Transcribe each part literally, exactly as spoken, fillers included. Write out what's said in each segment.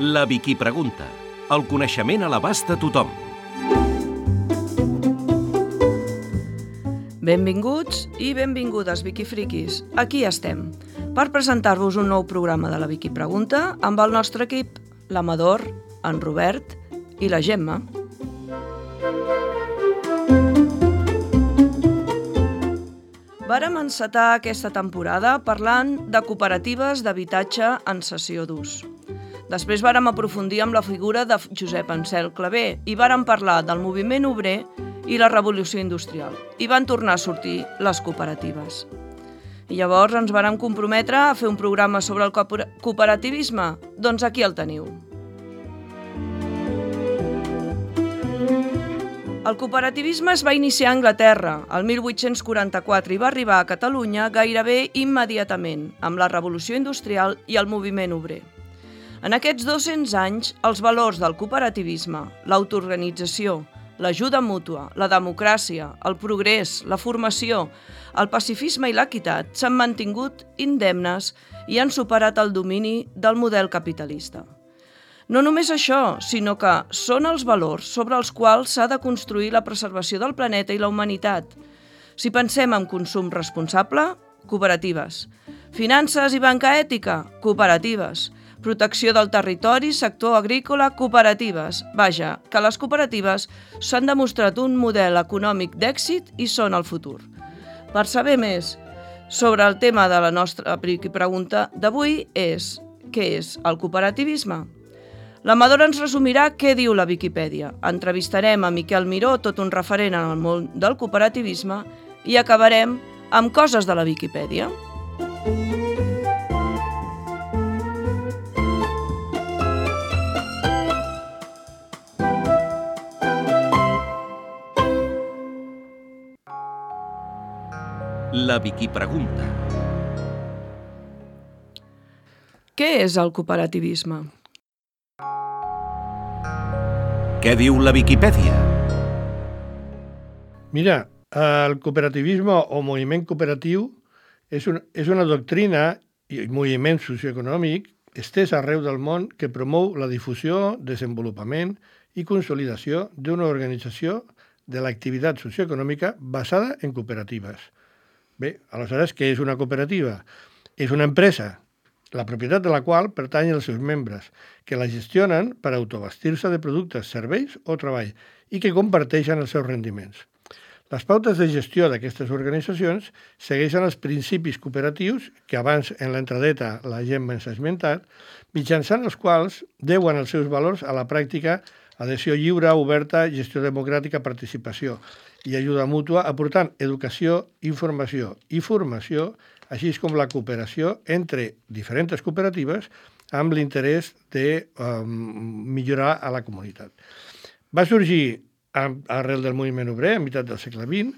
La Vicky Pregunta. El coneixement a l'abast de tothom. Benvinguts i benvingudes, Vicky Friquis. Aquí estem, per presentar-vos un nou programa de la Vicky Pregunta amb el nostre equip, l'Amador, en Robert i la Gemma. Vàrem encetar aquesta temporada parlant de cooperatives d'habitatge en cessió d'ús. Després vàrem aprofundir amb la figura de Josep Ansel Clavé i vàrem parlar del moviment obrer i la revolució industrial. I van tornar a sortir les cooperatives. I llavors ens vàrem comprometre a fer un programa sobre el cooperativisme. Doncs aquí el teniu. El cooperativisme es va iniciar a Anglaterra el mil vuit-cents quaranta-quatre i va arribar a Catalunya gairebé immediatament, amb la revolució industrial i el moviment obrer. En aquests dos-cents anys, els valors del cooperativisme, l'autoorganització, l'ajuda mútua, la democràcia, el progrés, la formació, el pacifisme i l'equitat s'han mantingut indemnes i han superat el domini del model capitalista. No només això, sinó que són els valors sobre els quals s'ha de construir la preservació del planeta i la humanitat. Si pensem en consum responsable, cooperatives. Finances i banca ètica, cooperatives. Protecció del territori, sector agrícola, cooperatives. Vaja, que les cooperatives s'han demostrat un model econòmic d'èxit i són el futur. Per saber més sobre el tema de la nostra pregunta d'avui és què és el cooperativisme? L'Amador ens resumirà què diu la Viquipèdia. Entrevistarem a Miquel Miró, tot un referent en el món del cooperativisme, i acabarem amb coses de la Viquipèdia. La Vicky Pregunta. Què és el cooperativisme? Què diu la Viquipèdia? Mira, el cooperativisme o moviment cooperatiu és, un, és una doctrina i moviment socioeconòmic estès arreu del món que promou la difusió, desenvolupament i consolidació d'una organització de l'activitat socioeconòmica basada en cooperatives. Bé, aleshores, què és una cooperativa? És una empresa, la propietat de la qual pertany als seus membres, que la gestionen per autobastir-se de productes, serveis o treball i que comparteixen els seus rendiments. Les pautes de gestió d'aquestes organitzacions segueixen els principis cooperatius que abans en l'entradeta la Gemma ens ha esmentat, mitjançant els quals deuen els seus valors a la pràctica adhesió lliure, oberta, gestió democràtica, participació i ajuda mútua, aportant educació, informació i formació, així com la cooperació entre diferents cooperatives amb l'interès de um, millorar a la comunitat. Va sorgir arrel del moviment obrer, a meitat del segle vint,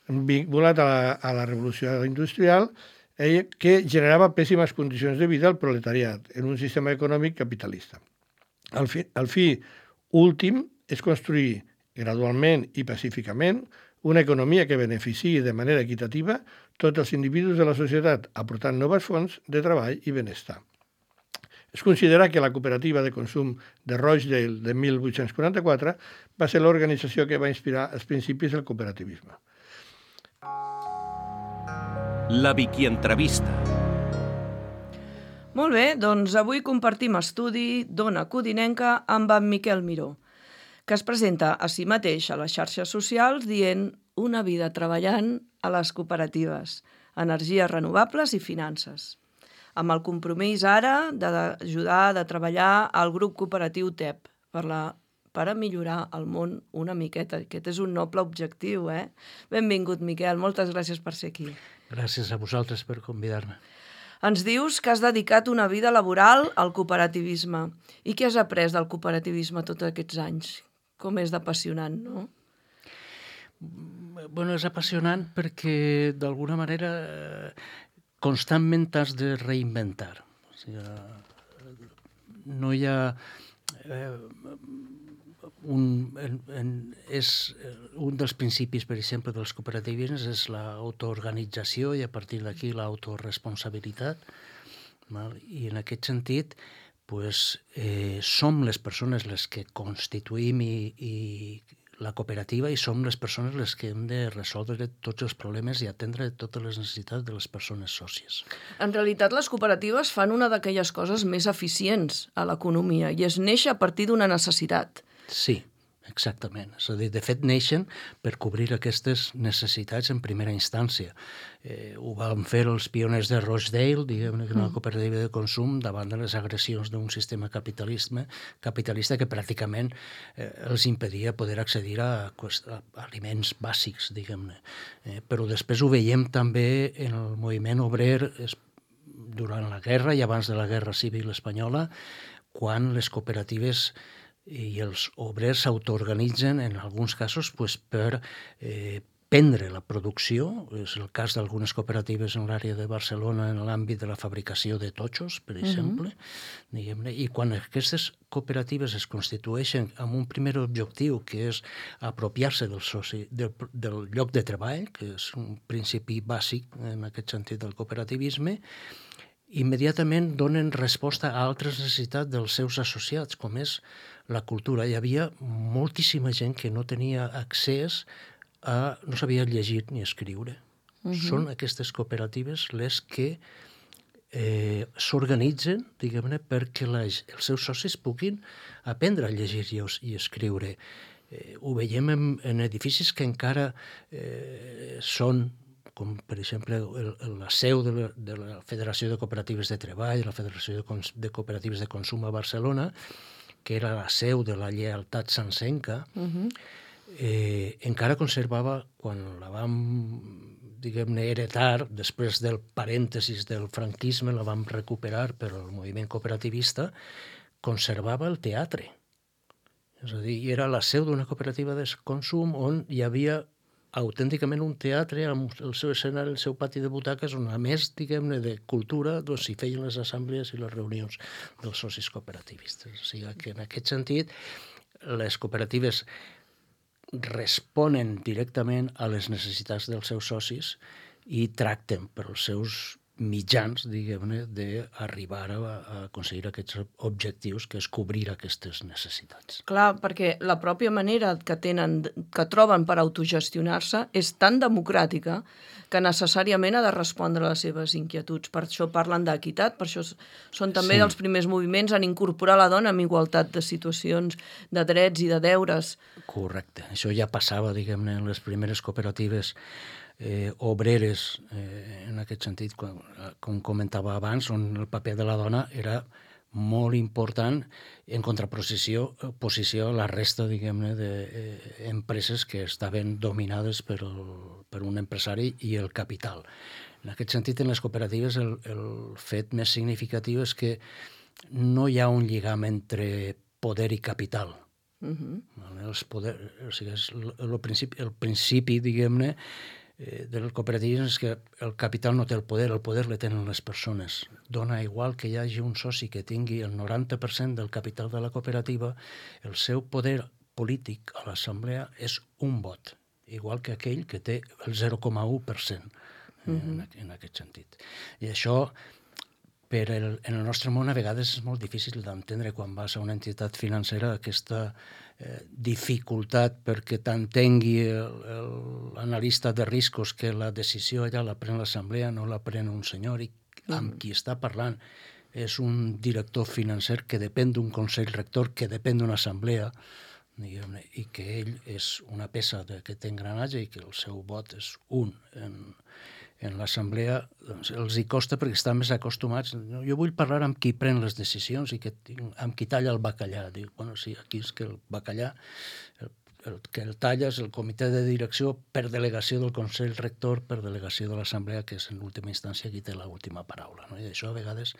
vinculat a la, a la revolució industrial, eh, que generava pèssimes condicions de vida al proletariat en un sistema econòmic capitalista. El fi, el fi últim és construir gradualment i pacíficament una economia que beneficiï de manera equitativa tots els individus de la societat, aportant noves fonts de treball i benestar. Es considera que la cooperativa de consum de Rochdale de mil vuit-cents quaranta-quatre va ser l'organització que va inspirar els principis del cooperativisme. La Vicky Entrevista. Molt bé, doncs avui compartim estudi d'Ona Codinenca amb en Miquel Miró, que es presenta a si mateix a les xarxes socials dient una vida treballant a les cooperatives, energies renovables i finances, amb el compromís ara d'ajudar, de treballar al grup cooperatiu T E P per, la, per a millorar el món una miqueta. Aquest és un noble objectiu, eh? Benvingut, Miquel, moltes gràcies per ser aquí. Gràcies a vosaltres per convidar-me. Ens dius que has dedicat una vida laboral al cooperativisme. I què has après del cooperativisme tots aquests anys? Com és d'apassionant, no? Bueno, és apassionant perquè, d'alguna manera, constantment t'has de reinventar. O sigui, no hi ha... Eh, un, en, en, és un dels principis, per exemple, dels cooperativismes és l'autoorganització i a partir d'aquí l'autoresponsabilitat. I en aquest sentit, pues, eh, som les persones les que constituïm i, i la cooperativa i som les persones les que hem de resoldre tots els problemes i atendre totes les necessitats de les persones sòcies. En realitat, les cooperatives fan una d'aquelles coses més eficients a l'economia i es neix a partir d'una necessitat. Sí, exactament. És a dir, de fet, neixen per cobrir aquestes necessitats en primera instància. Eh, ho van fer els pioners de Rochdale, diguem-ne, que una cooperativa de consum, davant de les agressions d'un sistema capitalista, capitalista que pràcticament eh, els impedia poder accedir a, a aliments bàsics, diguem-ne. Eh, però després ho veiem també en el moviment obrer es, durant la guerra i abans de la Guerra Civil Espanyola, quan les cooperatives i els obrers s'autoorganitzen, en alguns casos, pues, per eh, prendre la producció. És el cas d'algunes cooperatives en l'àrea de Barcelona en l'àmbit de la fabricació de totxos, per exemple. Uh-huh. Diguem-ne. I quan aquestes cooperatives es constitueixen amb un primer objectiu, que és apropiar-se del, soci, del, del lloc de treball, que és un principi bàsic en aquest sentit del cooperativisme, immediatament donen resposta a altres necessitats dels seus associats, com és la cultura. Hi havia moltíssima gent que no tenia accés a... no sabia llegir ni escriure. Uh-huh. Són aquestes cooperatives les que eh, s'organitzen, diguem-ne, perquè la, els seus socis puguin aprendre a llegir i, i escriure. Eh, ho veiem en, en edificis que encara eh, són, com per exemple el, la seu de la, de la Federació de Cooperatives de Treball, la Federació de, Cons, de Cooperatives de Consum a Barcelona, que era la seu de la lleialtat sancenca, uh-huh. eh, encara conservava, quan la vam, diguem-ne, heretar, després del parèntesis del franquisme, la vam recuperar per al moviment cooperativista, conservava el teatre. És a dir, era la seu d'una cooperativa de consum on hi havia autènticament un teatre amb el seu escenari, el seu pati de butaques, on a més, diguem-ne, de cultura, doncs s'hi feien les assemblees i les reunions dels socis cooperativistes. O sigui que en aquest sentit les cooperatives responen directament a les necessitats dels seus socis i tracten per als seus mitjans, diguem-ne, d'arribar a, a aconseguir aquests objectius, que és cobrir aquestes necessitats. Clar, perquè la pròpia manera que tenen, que troben per autogestionar-se és tan democràtica que necessàriament ha de respondre a les seves inquietuds. Per això parlen d'equitat, per això són també sí. dels primers moviments en incorporar la dona amb igualtat de situacions, de drets i de deures. Correcte. Això ja passava, diguem-ne, en les primeres cooperatives Eh, obreres, eh, en aquest sentit, com, com comentava abans, on el paper de la dona era molt important en contraposició posició a la resta, diguem-ne, d'empreses que estaven dominades per, el, per un empresari i el capital. En aquest sentit, en les cooperatives, el, el fet més significatiu és que no hi ha un lligam entre poder i capital. Uh-huh. Els poder, o sigui, és el, el, principi, el principi, diguem-ne, del cooperativisme és que el capital no té el poder, el poder le tenen les persones. Dona igual que hi hagi un soci que tingui el noranta per cent del capital de la cooperativa, el seu poder polític a l'assemblea és un vot, igual que aquell que té el zero coma u per cent en, en aquest sentit. I això, per el, en el nostre món, a vegades és molt difícil d'entendre quan vas a una entitat financera aquesta eh, dificultat perquè t'entengui l'analista de riscos que la decisió allà la pren l'assemblea, no la pren un senyor i amb qui està parlant és un director financer que depèn d'un consell rector, que depèn d'una assemblea, diguem-ne, i que ell és una peça d'aquest engranatge i que el seu vot és un en, en l'assemblea, doncs els hi costa perquè estan més acostumats. Jo vull parlar amb qui pren les decisions i que, amb qui talla el bacallà. Dic, bueno, sí, aquí és que el bacallà, el, el que el talla és el comitè de direcció per delegació del Consell Rector, per delegació de l'Assemblea, que és en última instància qui té l'última paraula. No? I això a vegades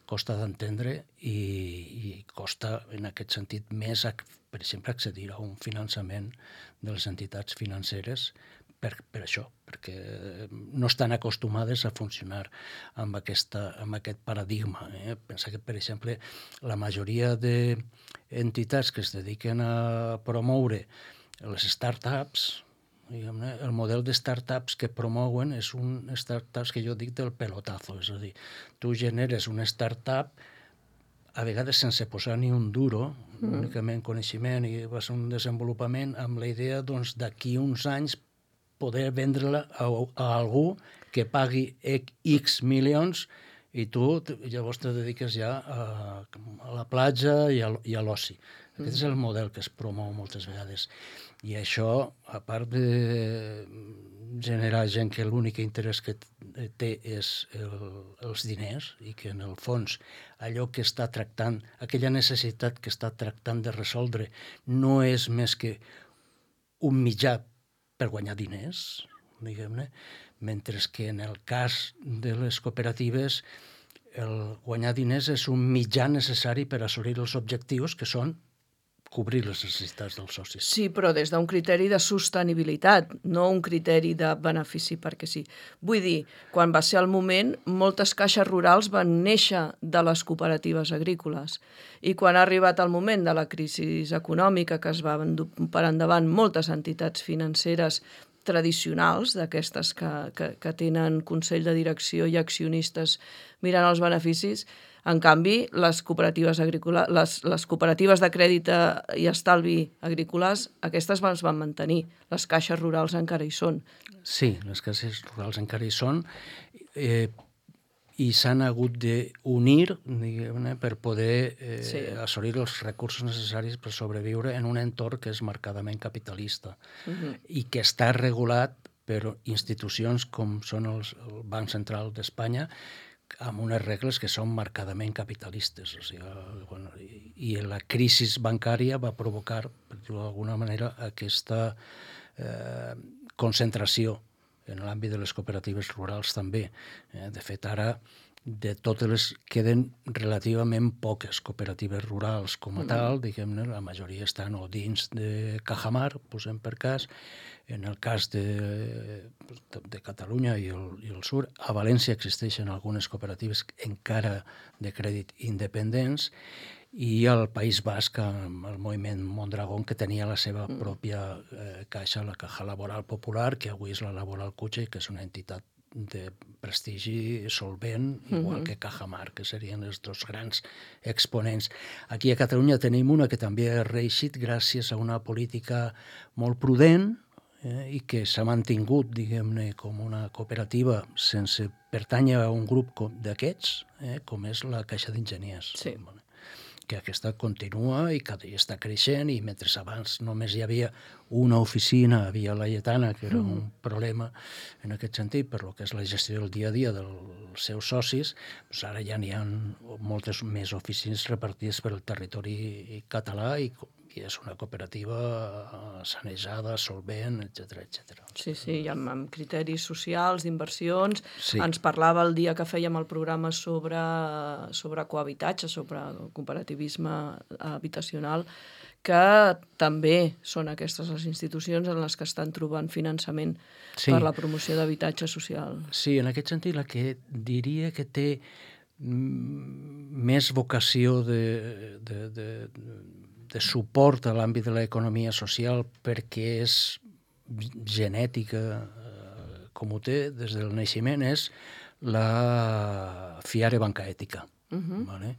costa d'entendre i, i costa, en aquest sentit, més, per exemple, accedir a un finançament de les entitats financeres Per, per això, perquè no estan acostumades a funcionar amb, aquesta, amb aquest paradigma. Eh? Pensa que, per exemple, la majoria d'entitats que es dediquen a promoure les start-ups, diguem-ne, el model de start-ups que promouen és un start-ups que jo dic del pelotazo, és a dir, tu generes una start-up a vegades sense posar ni un duro, mm. únicament coneixement, i va ser un desenvolupament amb la idea doncs, d'aquí uns anys poder vendre-la a, a algú que pagui X milions i tu llavors te dediques ja a, a la platja i a, i a l'oci. Aquest mm. és el model que es promou moltes vegades. I això, a part de generar gent que l'únic interès que té és el, els diners i que en el fons allò que està tractant, aquella necessitat que està tractant de resoldre no és més que un mitjà per guanyar diners, diguem-ne, mentre que en el cas de les cooperatives el guanyar diners és un mitjà necessari per assolir els objectius que són cobrir les necessitats dels socis. Sí, però des d'un criteri de sostenibilitat, no un criteri de benefici perquè sí. Vull dir, quan va ser el moment, moltes caixes rurals van néixer de les cooperatives agrícoles i quan ha arribat el moment de la crisi econòmica que es van per endavant moltes entitats financeres tradicionals, d'aquestes que, que, que tenen consell de direcció i accionistes mirant els beneficis. En canvi, les cooperatives agrícoles, les, les cooperatives de crèdit i estalvi agrícoles, aquestes es van mantenir. Les caixes rurals encara hi són. Sí, les caixes rurals encara hi són eh, i s'han hagut d'unir, diguem-ne, per poder eh, sí. assolir els recursos necessaris per sobreviure en un entorn que és marcadament capitalista uh-huh. i que està regulat per institucions com són els, el Banc Central d'Espanya, amb unes regles que són marcadament capitalistes. O sigui, bueno, i, i la crisi bancària va provocar, per dir-ho d'alguna manera, aquesta eh, concentració en l'àmbit de les cooperatives rurals també. Eh, de fet, ara de totes les queden relativament poques cooperatives rurals com a tal, diguem-ne, la majoria estan o dins de Cajamar, posem per cas, en el cas de, de Catalunya i el, i el Sur. A València existeixen algunes cooperatives encara de crèdit independents i al País Basc amb el moviment Mondragón, que tenia la seva pròpia eh, caixa, la Caja Laboral Popular, que avui és la Laboral Cutxe, que és una entitat de prestigi solvent, igual uh-huh. que Cajamar, que serien els dos grans exponents. Aquí a Catalunya tenim una que també ha reeixit gràcies a una política molt prudent eh, i que s'ha mantingut, diguem-ne, com una cooperativa sense pertànyer a un grup d'aquests, eh, com és la Caixa d'Enginyers. Sí. Que aquesta continua i que està creixent, i mentre abans només hi havia una oficina a Via Laietana, que era un problema en aquest sentit, per lo que és la gestió del dia a dia dels seus socis, doncs ara ja n'hi ha moltes més oficines repartides per el territori català i, i és una cooperativa sanejada, solvent, etcètera, etcètera. Sí, sí, i amb, amb criteris socials, d'inversions. Sí. Ens parlava el dia que fèiem el programa sobre, sobre cohabitatge, sobre cooperativisme habitacional, que també són aquestes les institucions en les que estan trobant finançament sí. per la promoció d'habitatge social. Sí, en aquest sentit, la que diria que té més vocació de, de, de, de suport a l'àmbit de l'economia social perquè és genètica, eh, com ho té des del naixement, és la Fiare Banca Ètica, uh-huh. vale?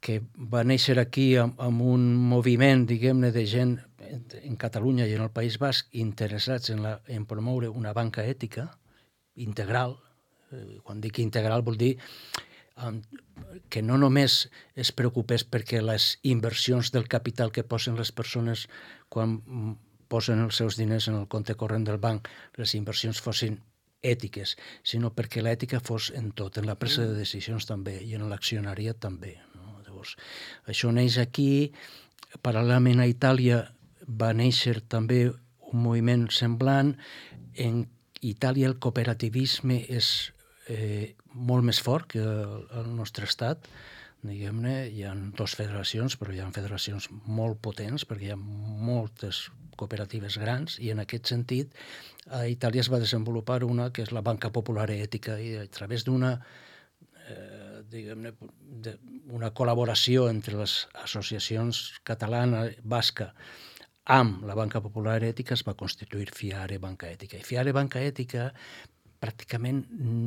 Que va néixer aquí amb, amb un moviment, diguem-ne, de gent en Catalunya i en el País Basc interessats en, la, en promoure una banca ètica integral. Eh, quan dic integral vol dir um, que no només es preocupés perquè les inversions del capital que posen les persones quan posen els seus diners en el compte corrent del banc, les inversions fossin ètiques, sinó perquè l'ètica fos en tot, en la presa de decisions també i en l'accionariat també. Això neix aquí. Paral·lelament a Itàlia va néixer també un moviment semblant. En Itàlia el cooperativisme és eh, molt més fort que el, el nostre estat. Diguem-ne, hi ha dues federacions, però hi ha federacions molt potents perquè hi ha moltes cooperatives grans i en aquest sentit a Itàlia es va desenvolupar una que és la Banca Popular Ètica i a través d'una Eh, diguem-ne, una col·laboració entre les associacions catalana, basca, amb la Banca Popular Ètica es va constituir Fiare Banca Ètica. I Fiare Banca Ètica pràcticament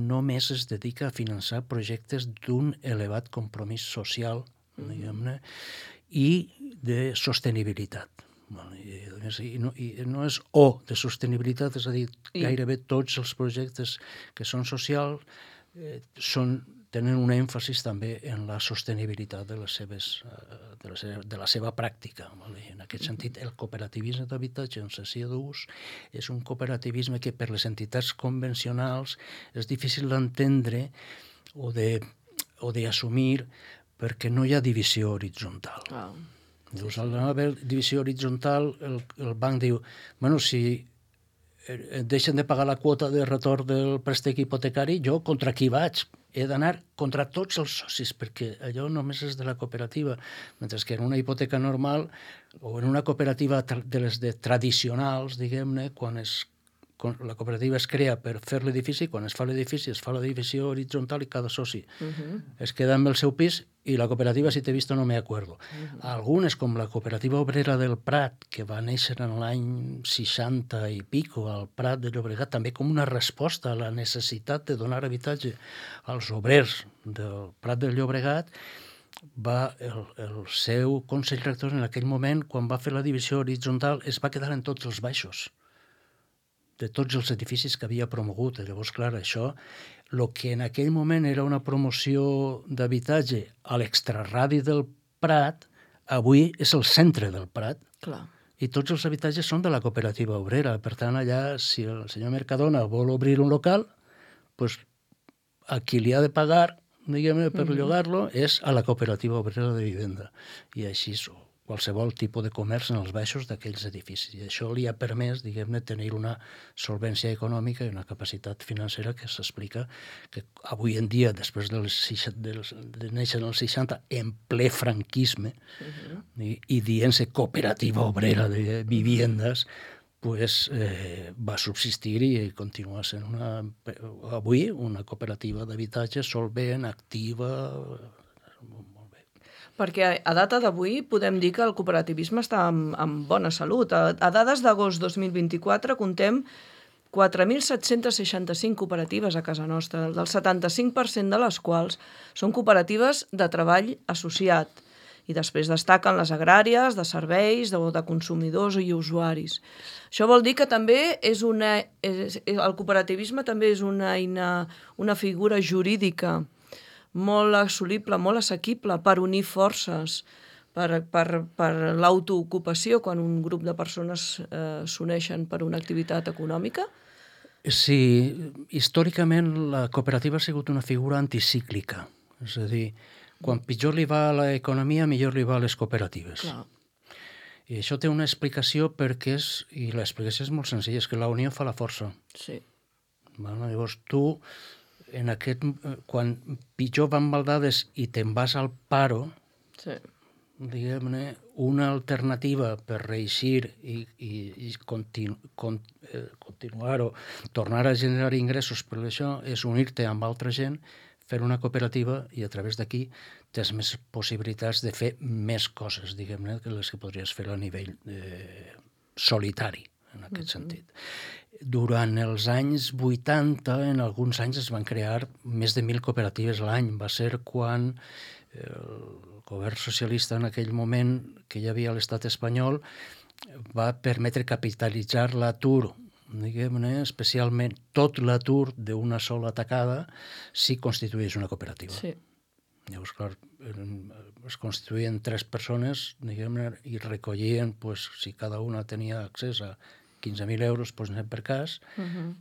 només es dedica a finançar projectes d'un elevat compromís social, diguem-ne, i de sostenibilitat. I no, I no és o de sostenibilitat, és a dir, gairebé tots els projectes que són socials eh, són, tenen un èmfasis també en la sostenibilitat de, les seves, de, la, seva, de la seva pràctica. Vale? En aquest sentit, el cooperativisme d'habitatge en cessió d'ús és un cooperativisme que per les entitats convencionals és difícil d'entendre o de, o d'assumir perquè no hi ha divisió horitzontal. Ah. Dius, al no haver divisió horitzontal, el, el banc diu, bueno, si deixen de pagar la quota de retorn del préstec hipotecari, jo contra qui vaig? He d'anar contra tots els socis, perquè allò només és de la cooperativa, mentre que en una hipoteca normal o en una cooperativa de les de tradicionals, diguem-ne, quan es la cooperativa es crea per fer l'edifici, quan es fa l'edifici es fa la divisió horitzontal i cada soci uh-huh. es queda amb el seu pis i la cooperativa, si t'he vist, no me acuerdo. Uh-huh. Algunes, com la cooperativa obrera del Prat, que va néixer en l'any seixanta i pico al Prat de Llobregat, també com una resposta a la necessitat de donar habitatge als obrers del Prat del Llobregat, va, el, el seu consell rector en aquell moment, quan va fer la divisió horitzontal, es va quedar en tots els baixos de tots els edificis que havia promogut. Llavors, clar, això, el que en aquell moment era una promoció d'habitatge a l'extraradi del Prat, avui és el centre del Prat. Clar. I tots els habitatges són de la cooperativa obrera. Per tant, allà, si el senyor Mercadona vol obrir un local, doncs a qui li ha de pagar, diguem-ne, per mm-hmm. llogar-lo, és a la cooperativa obrera de vivenda. I així són. Qualsevol tipus de comerç en els baixos d'aquells edificis. I això li ha permès, diguem-ne, tenir una solvència econòmica i una capacitat financera que s'explica que avui en dia, després de, les, de, les, de néixer en els seixanta, en ple franquisme, uh-huh. i, i dient-se cooperativa obrera de viviendes, pues, eh, va subsistir i continua sent una, avui una cooperativa d'habitatge solvent, activa. Perquè a data d'avui podem dir que el cooperativisme està en, en bona salut. A, a dades d'agost dos mil vint-i-quatre contem quatre mil set-cents seixanta-cinc cooperatives a casa nostra, del setanta-cinc per cent de les quals són cooperatives de treball associat. I després destaquen les agràries, de serveis, de, de consumidors i usuaris. Això vol dir que també és una... És, el cooperativisme també és una eina, una figura jurídica molt assolible, molt assequible per unir forces, per, per, per l'autoocupació quan un grup de persones eh, s'uneixen per una activitat econòmica? Sí, històricament la cooperativa ha sigut una figura anticíclica. És a dir, quan pitjor li va a l'economia, millor li va a les cooperatives. Clar. I això té una explicació perquè és, i l'explicació és molt senzilla, és que la unió fa la força. Sí. Bueno, llavors tu... En aquest, quan pitjor van maldades i te'n vas al paro, sí. diguem-ne, una alternativa per reeixir i, i, i continu, con, eh, continuar o tornar a generar ingressos per això és unir-te amb altra gent, fer una cooperativa i a través d'aquí tens més possibilitats de fer més coses, diguem-ne, que les que podries fer a nivell eh, solitari, en aquest mm-hmm. sentit. Durant els anys vuitanta, en alguns anys es van crear més de mil cooperatives a l'any. Va ser quan el govern socialista en aquell moment que hi havia a l'estat espanyol va permetre capitalitzar l'atur, diguem-ne, especialment tot l'atur d'una sola tacada, si constituís una cooperativa. Sí. Llavors, clar, es constituïen tres persones, diguem-ne, i recollien, pues, si cada una tenia accés a quinze mil euros, doncs anem per cas. Uh-huh.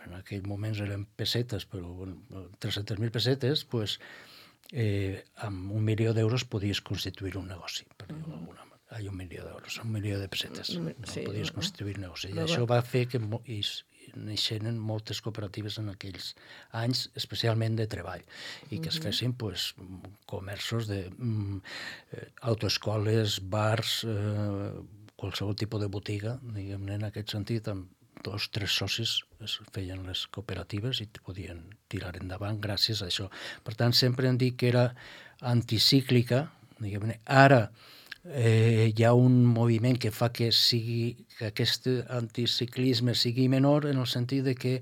En aquell moments eren pessetes, però bueno, tres-centes mil pessetes, doncs, eh, amb un milió d'euros podies constituir un negoci. Per dir-ho uh-huh. d'alguna manera. Ai, un milió d'euros, un milió de pessetes. Uh-huh. No, sí, podies uh-huh. constituir un negoci. I uh-huh. això va fer que mo- i, i neixeren moltes cooperatives en aquells anys, especialment de treball, i que uh-huh. es fessin pues, comerços de mm, eh, autoescoles, bars, eh, qualsevol tipus de botiga, diguem-ne, en aquest sentit, amb dos, tres socis es feien les cooperatives i podien tirar endavant gràcies a això. Per tant, sempre hem dit que era anticíclica, diguem-ne. Ara eh, hi ha un moviment que fa que, sigui, que aquest anticiclisme sigui menor en el sentit de que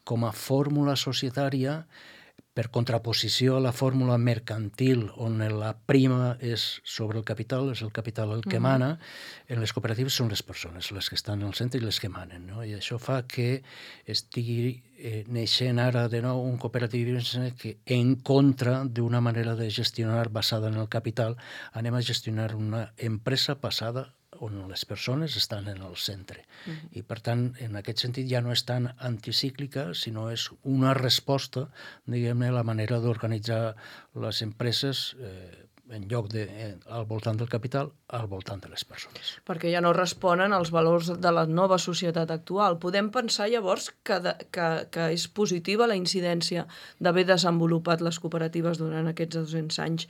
com a fórmula societària per contraposició a la fórmula mercantil, on la prima és sobre el capital, és el capital el que mana, en les cooperatives són les persones, les que estan al centre i les que manen. No? I això fa que estigui eh, neixent ara de nou un cooperativisme que, en contra d'una manera de gestionar basada en el capital, anem a gestionar una empresa basada on les persones estan en el centre. Uh-huh. I, per tant, en aquest sentit ja no és tan anticíclica, sinó és una resposta, diguem-ne, a la manera d'organitzar les empreses eh, en lloc de, eh, al voltant del capital, al voltant de les persones. Perquè ja no responen als valors de la nova societat actual. Podem pensar llavors que, de, que, que és positiva la incidència d'haver desenvolupat les cooperatives durant aquests dos-cents anys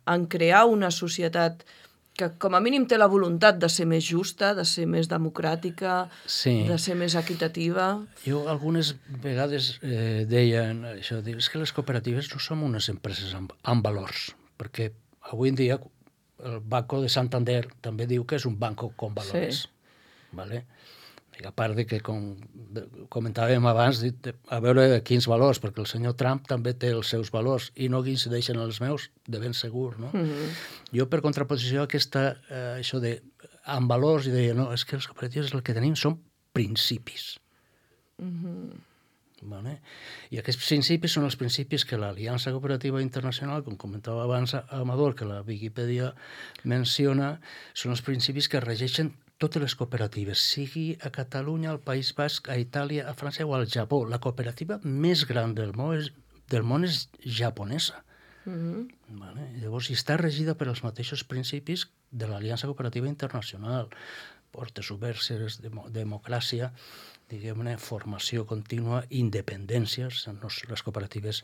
en crear una societat que com a mínim té la voluntat de ser més justa, de ser més democràtica, sí. de ser més equitativa. Jo algunes vegades eh, deien això, és que les cooperatives no som unes empreses amb, amb valors, perquè avui en dia el Banco de Santander també diu que és un banco con valores. Sí. Vale? I a part de que, com comentàvem abans, a veure quins valors, perquè el senyor Trump també té els seus valors i no coincideixen els meus, de ben segur, no? Mm-hmm. Jo, per contraposició a aquesta, eh, això de amb valors, i deia, no, és que les cooperatives el que tenim són principis. Mm-hmm. Vale? I aquests principis són els principis que l'Aliança Cooperativa Internacional, com comentava abans Amador, que la Viquipèdia menciona, són els principis que regeixen totes les cooperatives, sigui a Catalunya, al País Basc, a Itàlia, a França o al Japó. La cooperativa més gran del món és, del món és japonesa. Mm-hmm. Vale? Llavors, està regida per els mateixos principis de l'Aliança Cooperativa Internacional. Portes obertes, dem- democràcia, diguem-ne, formació contínua, independències. Les cooperatives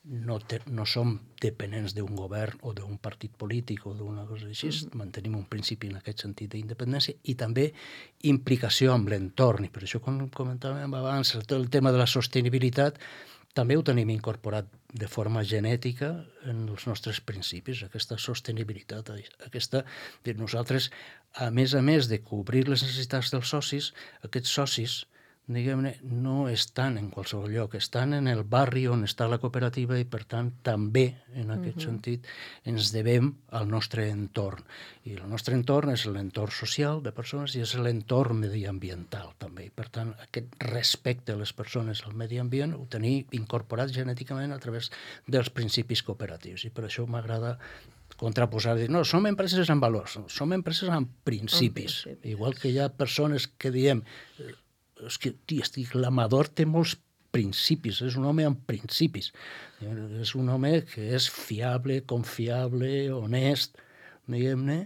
no, te, no som dependents d'un govern o d'un partit polític o d'una cosa així. Mm-hmm. Mantenim un principi en aquest sentit d'independència i també implicació amb l'entorn. I per això, com comentàvem abans, el tema de la sostenibilitat també ho tenim incorporat de forma genètica en els nostres principis, aquesta sostenibilitat, aquesta de nosaltres, a més a més de cobrir les necessitats dels socis, aquests socis, diguem-ne, no estan en qualsevol lloc, estan en el barri on està la cooperativa i, per tant, també, en aquest uh-huh. sentit, ens devem al nostre entorn. I el nostre entorn és l'entorn social de persones i és l'entorn mediambiental, també. I, per tant, aquest respecte a les persones al medi ambient ho tenim incorporat genèticament a través dels principis cooperatius. I per això m'agrada contraposar, dir, no, som empreses amb valors, som empreses amb principis. Okay, sí. Igual que hi ha persones que diem és que, tia, estic, l'Amador té molts principis, és un home amb principis. És un home que és fiable, confiable, honest, diguem-ne,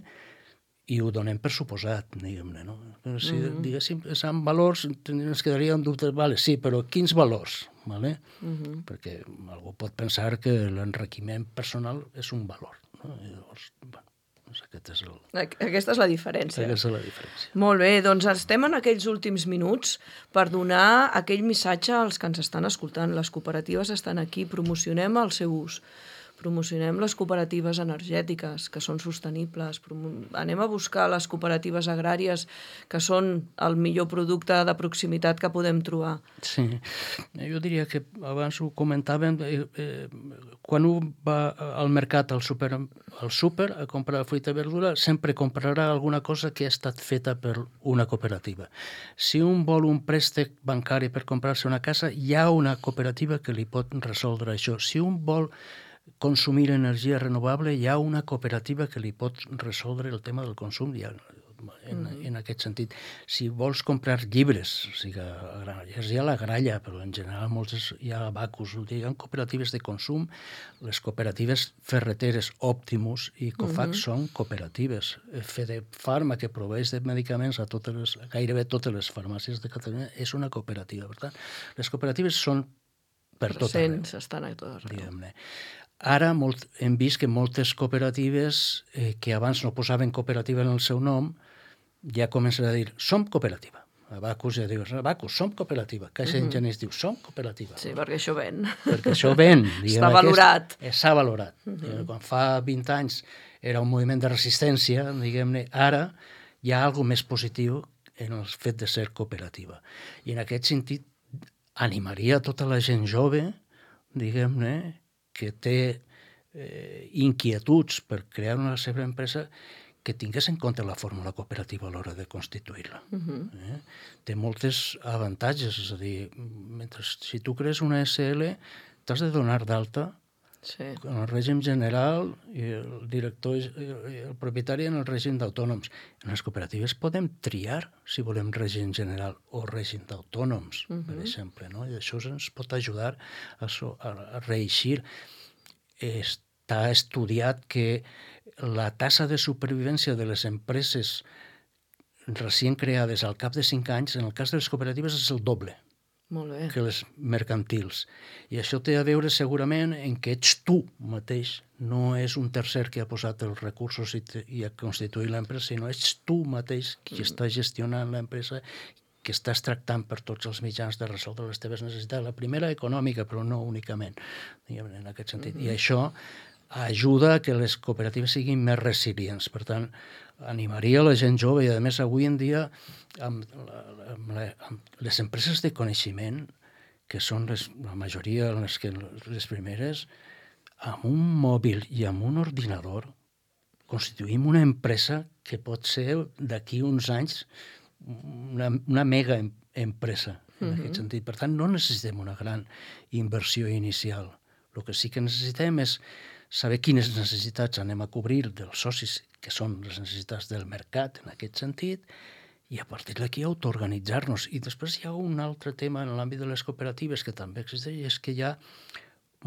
i ho donem per suposat, diguem-ne, no? Si mm-hmm. diguéssim, és amb valors, ens quedaria en dubte, vale, sí, però quins valors? Vale? Mm-hmm. Perquè algú pot pensar que l'enriquiment personal és un valor, no? I llavors, bueno, Aquest és el... Aquesta és la diferència. Aquesta és la diferència. Molt bé, doncs estem en aquells últims minuts per donar aquell missatge als que ens estan escoltant. Les cooperatives estan aquí, promocionem el seu ús. Promocionem les cooperatives energètiques, que són sostenibles. Anem a buscar les cooperatives agràries, que són el millor producte de proximitat que podem trobar. Sí, jo diria que abans ho comentàvem, eh, eh, quan un va al mercat, al súper, al súper a comprar fruita i verdura, sempre comprarà alguna cosa que ha estat feta per una cooperativa. Si un vol un préstec bancari per comprar-se una casa, hi ha una cooperativa que li pot resoldre això. Si un vol consumir energia renovable, hi ha una cooperativa que li pot resoldre el tema del consum, ja, en, en aquest sentit. Si vols comprar llibres, o sigui, a Granollers hi ha la Gralla, però en general moltes hi ha Abacus, hi ha cooperatives de consum, les cooperatives ferreteres Optimus i Cofax uh-huh. són cooperatives. Fedefarma, que proveeix de medicaments a totes les, gairebé totes les farmàcies de Catalunya, és una cooperativa. Per tant, les cooperatives són per tot arreu. Estan a tot arreu. Diguem-ne. Ara molt, hem vist que moltes cooperatives eh, que abans no posaven cooperativa en el seu nom ja comencen a dir, som cooperativa. Abacus ja dius, Abacus, som cooperativa. Caixa uh-huh. Enginyers diu, som cooperativa. Sí, perquè això ven. Perquè això ven. Està valorat. Està valorat. Uh-huh. Quan fa vint anys era un moviment de resistència, diguem-ne, ara hi ha alguna més positiu en el fet de ser cooperativa. I en aquest sentit animaria tota la gent jove, diguem-ne, que té eh, inquietuds per crear una seva empresa, que tingués en compte la fórmula cooperativa a l'hora de constituir-la. Uh-huh. eh? Té moltes avantatges, és a dir, mentre, si tu crees una S L, t'has de donar d'alta sí. en el règim general i el director i el propietari en el règim d'autònoms. En les cooperatives podem triar si volem règim general o règim d'autònoms, uh-huh. per exemple, no? I això ens pot ajudar a, so, a reeixir. Està estudiat que la tassa de supervivència de les empreses recient creades al cap de cinc anys, en el cas de les cooperatives, és el doble Molt bé. que les mercantils. I això té a veure segurament en que ets tu mateix, no és un tercer que ha posat els recursos i, te, i ha constituït l'empresa, sinó ets tu mateix qui mm. està gestionant l'empresa, que estàs tractant per tots els mitjans de resoldre les teves necessitats. La primera econòmica, però no únicament, diguem, en aquest sentit. Mm-hmm. I això ajuda a que les cooperatives siguin més resilients. Per tant, animaria la gent jove i, a més, avui en dia, amb, amb, la, amb les empreses de coneixement, que són les, la majoria les, que, les primeres, amb un mòbil i amb un ordinador constituïm una empresa que pot ser d'aquí uns anys una, una mega empresa, en uh-huh. aquest sentit. Per tant, no necessitem una gran inversió inicial. El que sí que necessitem és saber quines necessitats anem a cobrir dels socis, que són les necessitats del mercat, en aquest sentit, i a partir d'aquí autoorganitzar-nos. I després hi ha un altre tema en l'àmbit de les cooperatives que també existeix, i és que hi ha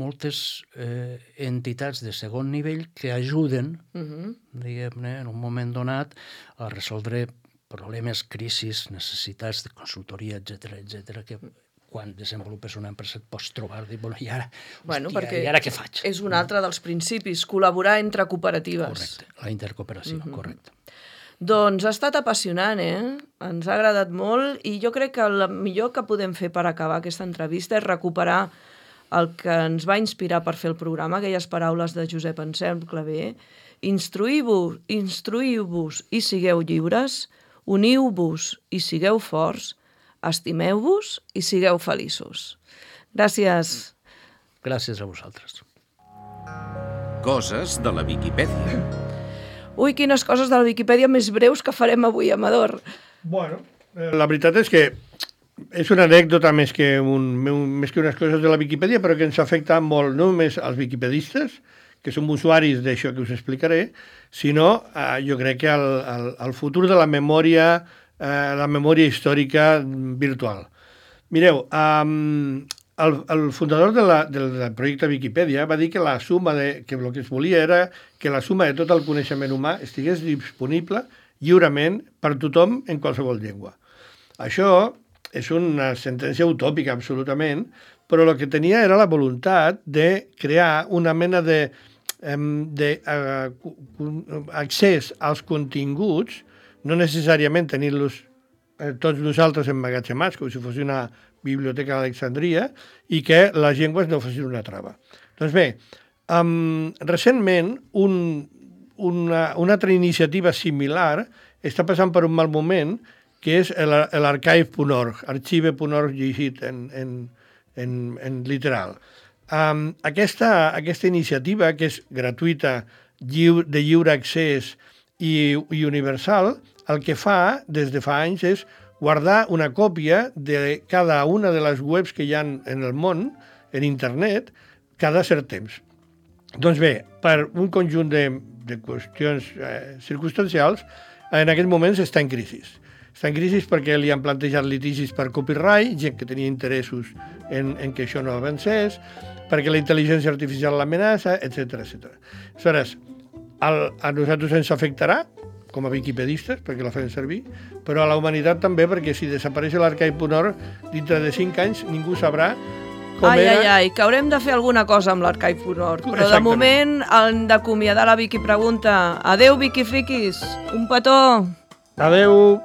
moltes eh, entitats de segon nivell que ajuden, uh-huh. diguem-ne, en un moment donat, a resoldre problemes, crisis, necessitats de consultoria, etcètera, etcètera, que quan desenvolupes una empresa et pots trobar i dir, bueno, i ara, bueno, hòstia, i ara què faig? És un altre dels principis, col·laborar entre cooperatives. Correcte, la intercooperació, uh-huh. correcte. Doncs ha estat apassionant, eh? Ens ha agradat molt i jo crec que el millor que podem fer per acabar aquesta entrevista és recuperar el que ens va inspirar per fer el programa, aquelles paraules de Josep Anselm Clavé. Instruïu-vos, instruïu-vos i sigueu lliures, uniu-vos i sigueu forts, estimeu-vos i sigueu feliços. Gràcies. Gràcies a vosaltres. Coses de la Viquipèdia. Ui, quines coses de la Viquipèdia més breus que farem avui, Amador. Bueno, la veritat és que és una anècdota més que, un, més que unes coses de la Viquipèdia, però que ens afecta molt, no només als viquipedistes, que som usuaris d'això que us explicaré, sinó eh, jo crec que al, al, al futur de la memòria Eh, la memòria històrica virtual. Mireu, um, el, el fundador de la, del, del projecte Viquipèdia va dir que la suma de, que el que es volia era que la suma de tot el coneixement humà estigués disponible lliurement per tothom en qualsevol llengua. Això és una sentència utòpica, absolutament, però el que tenia era la voluntat de crear una mena de, de uh, accés als continguts, no necessàriament tenir-los eh, tots nosaltres emmagatzemats, com si fos una biblioteca d'Alexandria, i que les llengües no fossin una trava. Doncs bé, um, recentment un, una, una altra iniciativa similar està passant per un mal moment, que és l'archive punt org, archive punt org llegit en, en, en, en literal. Um, aquesta, aquesta iniciativa, que és gratuïta, lliure, de lliure accés i, i universal, el que fa, des de fa anys, és guardar una còpia de cada una de les webs que hi ha en el món, en internet, cada cert temps. Doncs bé, per un conjunt de, de qüestions eh, circumstancials, en aquests moments està en crisi. Està en crisi perquè li han plantejat litigis per copyright, gent que tenia interessos en, en que això no avancés, perquè la intel·ligència artificial l'amenaça, etcètera, etcètera. Aleshores, el, a nosaltres ens afectarà, com a viquipedistes, perquè la fem servir, però a la humanitat també, perquè si desapareix l'archive punt org, dintre de cinc anys ningú sabrà com ai, era... Ai, ai, que haurem de fer alguna cosa amb l'archive punt org, però de moment hem d'acomiadar la Viqui Pregunta. Adéu, Viquifriquis, un petó! Adéu!